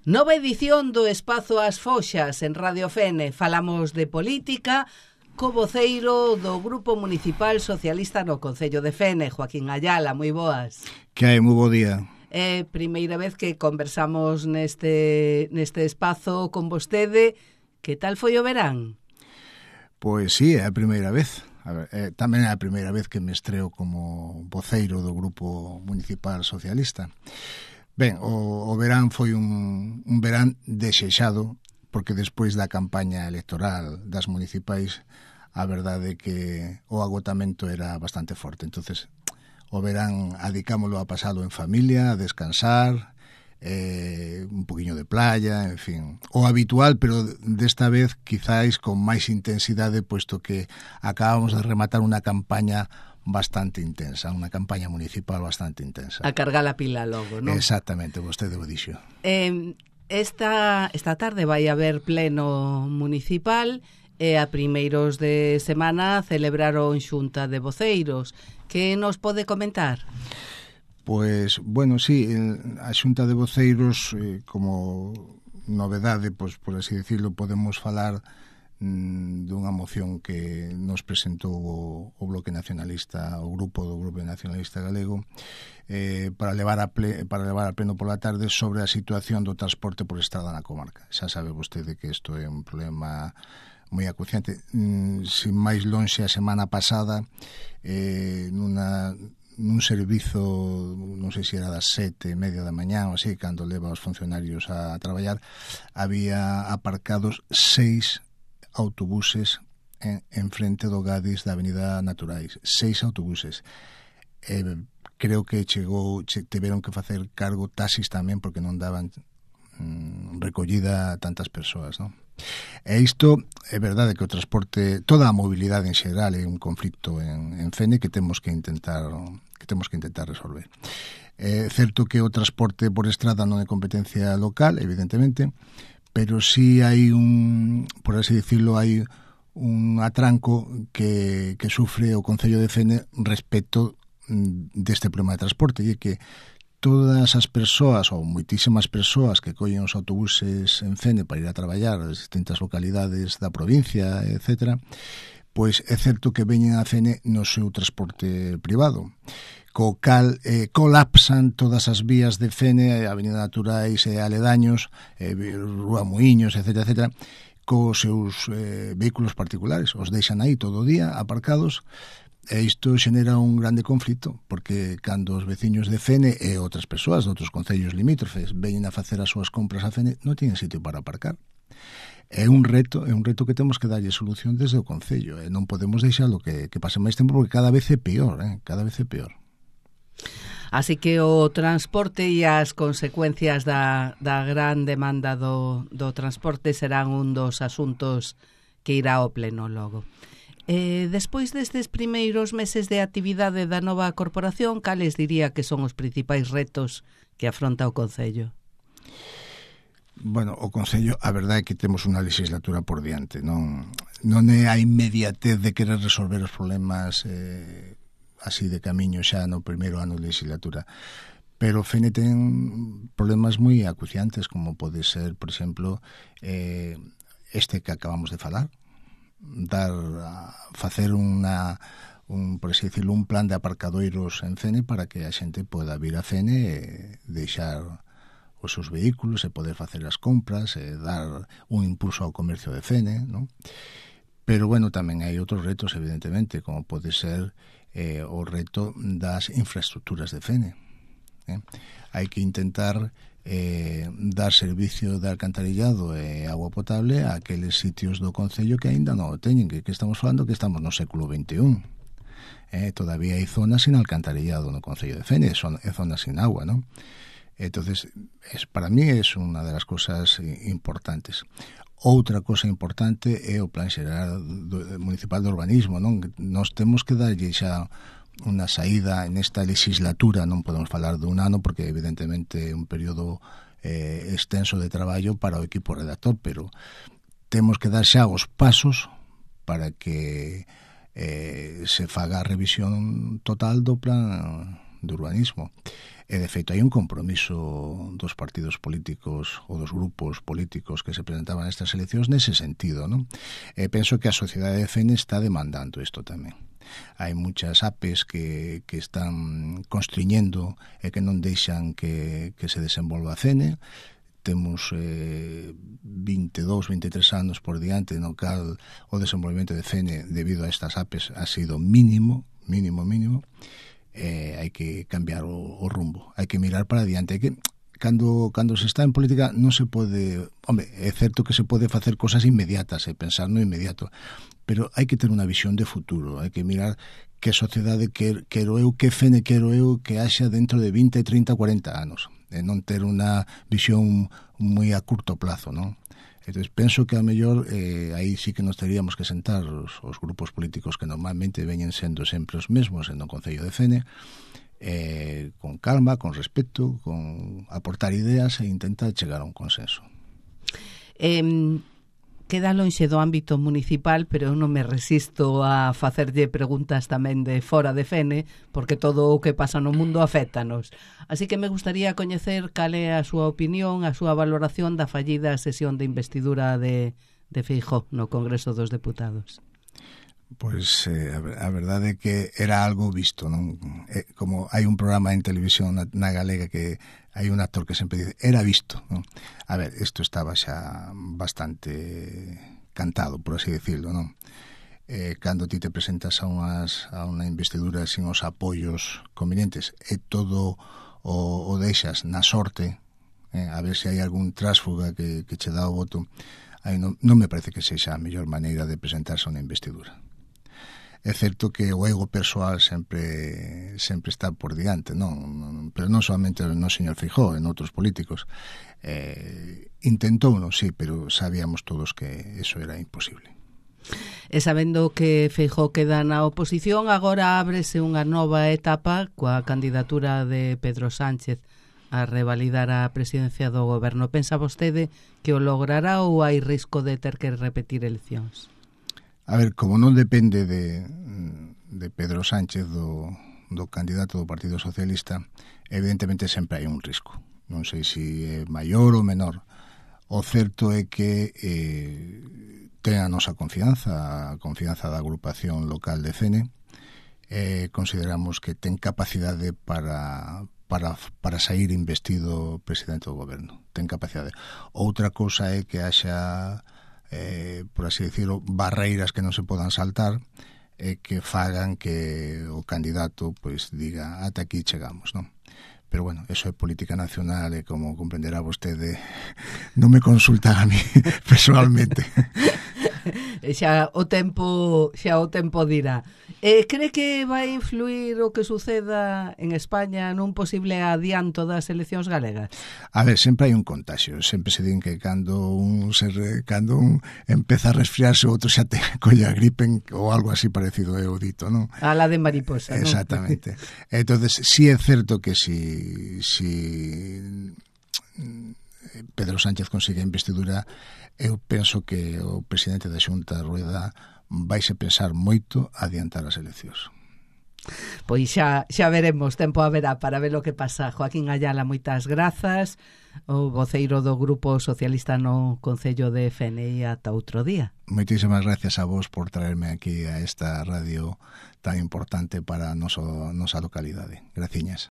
Nova edición do Espazo As Foxas en Radio Fene. Falamos de política co voceiro do Grupo Municipal Socialista no Concello de Fene, Joaquín Ayala. Moi boas. Que hai, moi bo día. É primeira vez que conversamos neste espazo con vostede. Que tal foi o verán? Pois sí, é a primeira vez. Tamén é a primeira vez que me estreo como voceiro do Grupo Municipal Socialista. Ben, o verán foi un verán desexado, porque despois da campaña electoral das municipais, a verdade é que o agotamento era bastante forte. Entonces, o verán adicámolo a pasalo en familia, a descansar, un poquinho de playa, en fin, o habitual, pero desta vez quizáis con máis intensidade, puesto que acabamos de rematar unha campaña bastante intensa, unha campaña municipal bastante intensa. A cargar a pila logo, non? Exactamente, vostede o dixo. Esta tarde vai haber pleno municipal e a primeiros de semana celebraron xunta de voceiros. Que nos pode comentar? Pois, bueno, sí, a xunta de voceiros, como novedade, pois, por así decirlo, podemos falar dunha moción que nos presentou o Bloque Nacionalista, o Grupo Nacionalista Galego, para levar a pleno pola tarde sobre a situación do transporte por estrada na comarca. Xa sabe vostede que isto é un problema moi acuciante. Sin máis lonxe, a semana pasada, nun servizo, non sei se era das 7:30 da mañá ou así, cando leva os funcionarios a traballar, había aparcados 6 autobuses en frente do Gadis da Avenida Naturais. 6 autobuses. Creo que tiveron que facer cargo taxis tamén, porque non daban recollida a tantas persoas, non? E isto é verdade que o transporte, toda a mobilidade en xeral é un conflito en Fene que temos que intentar resolver. É certo que o transporte por estrada non é competencia local, evidentemente, pero sí hai por así decirlo, hai un atranco que sufre o Concello de Fene respecto deste problema de transporte, e que todas as persoas, ou moitísimas persoas que collen os autobuses en Fene para ir a traballar as distintas localidades da provincia, etc., pois é certo que veñen a Fene no seu transporte privado, co cal colapsan todas as vías de Fene, Avenida Naturais e aledaños, Rúa Muiños, etc., cos seus vehículos particulares. Os deixan aí todo o día aparcados, e isto xenera un grande conflito, porque cando os veciños de Fene e outras persoas de outros concellos limítrofes veñen a facer as súas compras a Fene, non tienen sitio para aparcar. É un reto que temos que darlle solución desde o Concello, e non podemos deixalo que pase máis tempo, porque cada vez é peor, cada vez é peor. Así que o transporte e as consecuencias da gran demanda do transporte serán un dos asuntos que irá ao pleno logo. Despois destes primeiros meses de actividade da nova corporación, cales diría que son os principais retos que afronta o Concello? Bueno, o Concello, a verdade é que temos unha legislatura por diante, non é a inmediatez de querer resolver os problemas así de camiño xa no primeiro ano de legislatura, pero Fene ten problemas moi acuciantes, como pode ser, por exemplo, este que acabamos de falar, facer por así decirlo, un plan de aparcadoiros en Fene para que a xente poda vir a Fene e deixar os seus vehículos e poder facer as compras e dar un impulso ao comercio de Fene, non? Pero, bueno, tamén hai outros retos, evidentemente, como pode ser o reto das infraestructuras de Fene. Hai que intentar dar servicio de alcantarillado e agua potable a aqueles sitios do Concello que aínda non o teñen, que estamos falando que estamos no século XXI. Todavía hai zonas sin alcantarillado no Concello de Fene, e zonas sin agua, non? Entonces, para mí es una de las cosas importantes. Outra cosa importante é o Plan Xeral Municipal de Urbanismo, non? Nos temos que darlle xa unha saída nesta legislatura, non podemos falar de un ano porque evidentemente é un período extenso de traballo para o equipo redactor, pero temos que dar xa os pasos para que se faga a revisión total do plan de urbanismo. E, de feito, hai un compromiso dos partidos políticos ou dos grupos políticos que se presentaban nestas eleccións nese sentido, non? E penso que a sociedade de FENE está demandando isto tamén. Hai muchas APEs que están constriñendo e que non deixan que se desenvolva a CENE. Temos 22, 23 anos por diante no cal o desenvolvemento de CENE debido a estas APEs ha sido mínimo. Hai que cambiar o rumbo, hai que mirar para adiante. Hai que, cando se está en política non se pode, é certo que se pode facer cosas inmediatas e pensar no inmediato, pero hai que ter unha visión de futuro, hai que mirar que sociedade quero eu, que FENE quero eu que haxa dentro de 20, 30, 40 anos, e non ter unha visión moi a curto plazo, non? Entón, penso que a mellor aí sí que nos teríamos que sentar os grupos políticos que normalmente veñen sendo sempre os mesmos en o Concello de Fene, con calma, con respeto, con aportar ideas e intentar chegar a un consenso. Queda lonxe do ámbito municipal, pero eu non me resisto a facerlle preguntas tamén de fora de Fene, porque todo o que pasa no mundo aféctanos. Así que me gustaría coñecer cal é a súa opinión, a súa valoración da fallida sesión de investidura de Feijóo no Congreso dos Deputados. Pois a verdade é que era algo visto, non? Como hai un programa en televisión na galega que hai un actor que sempre dice, era visto, non? A ver, isto estaba xa bastante cantado, por así decirlo, non? Cando ti te presentas a unha investidura sin os apoios convenientes e todo o deixas na sorte, a ver se hai algún trásfuga que che dá o voto, aí non me parece que sexa a mellor maneira de presentarse a unha investidura. É certo que o ego persoal sempre está por diante, non? Pero non solamente no señor Feijóo, en outros políticos. Intentouno, sí, pero sabíamos todos que eso era imposible. E sabendo que Feijóo queda na oposición, agora ábrese unha nova etapa coa candidatura de Pedro Sánchez a revalidar a presidencia do goberno. Pensa vostede que o logrará ou hai risco de ter que repetir eleccións? A ver, como non depende de Pedro Sánchez, do candidato do Partido Socialista, evidentemente sempre hai un risco. Non sei se é maior ou menor. O certo é que ten a nosa confianza, a confianza da agrupación local de Fene. Consideramos que ten capacidade para sair investido presidente do goberno. Ten capacidade. Outra cousa é que haxa por así decirlo, barreiras que non se podan saltar e que fagan que o candidato pois diga ata aquí chegamos, non? Pero bueno, eso é política nacional e como comprenderá vostede non me consultan a mí personalmente. Xa o tempo dirá. Cree que vai influir o que suceda en España nun posible adianto das eleccións galegas? A ver, sempre hai un contagio. Sempre se din que cando un empeza a resfriarse, o outro xa te colle a gripe ou algo así parecido é o dito, non? A la de mariposa, non? Exactamente. Entonces, sí é certo que si Pedro Sánchez consigue a investidura, eu penso que o presidente da Xunta, Rueda, vaise pensar moito a adiantar as eleccións. Pois xa veremos, tempo haberá para ver o que pasa. Joaquín Ayala, moitas grazas, o voceiro do Grupo Socialista no Concello de Fene, e ata outro día. Moitísimas gracias a vos por traerme aquí a esta radio tan importante para a nosa localidade. Graciñas.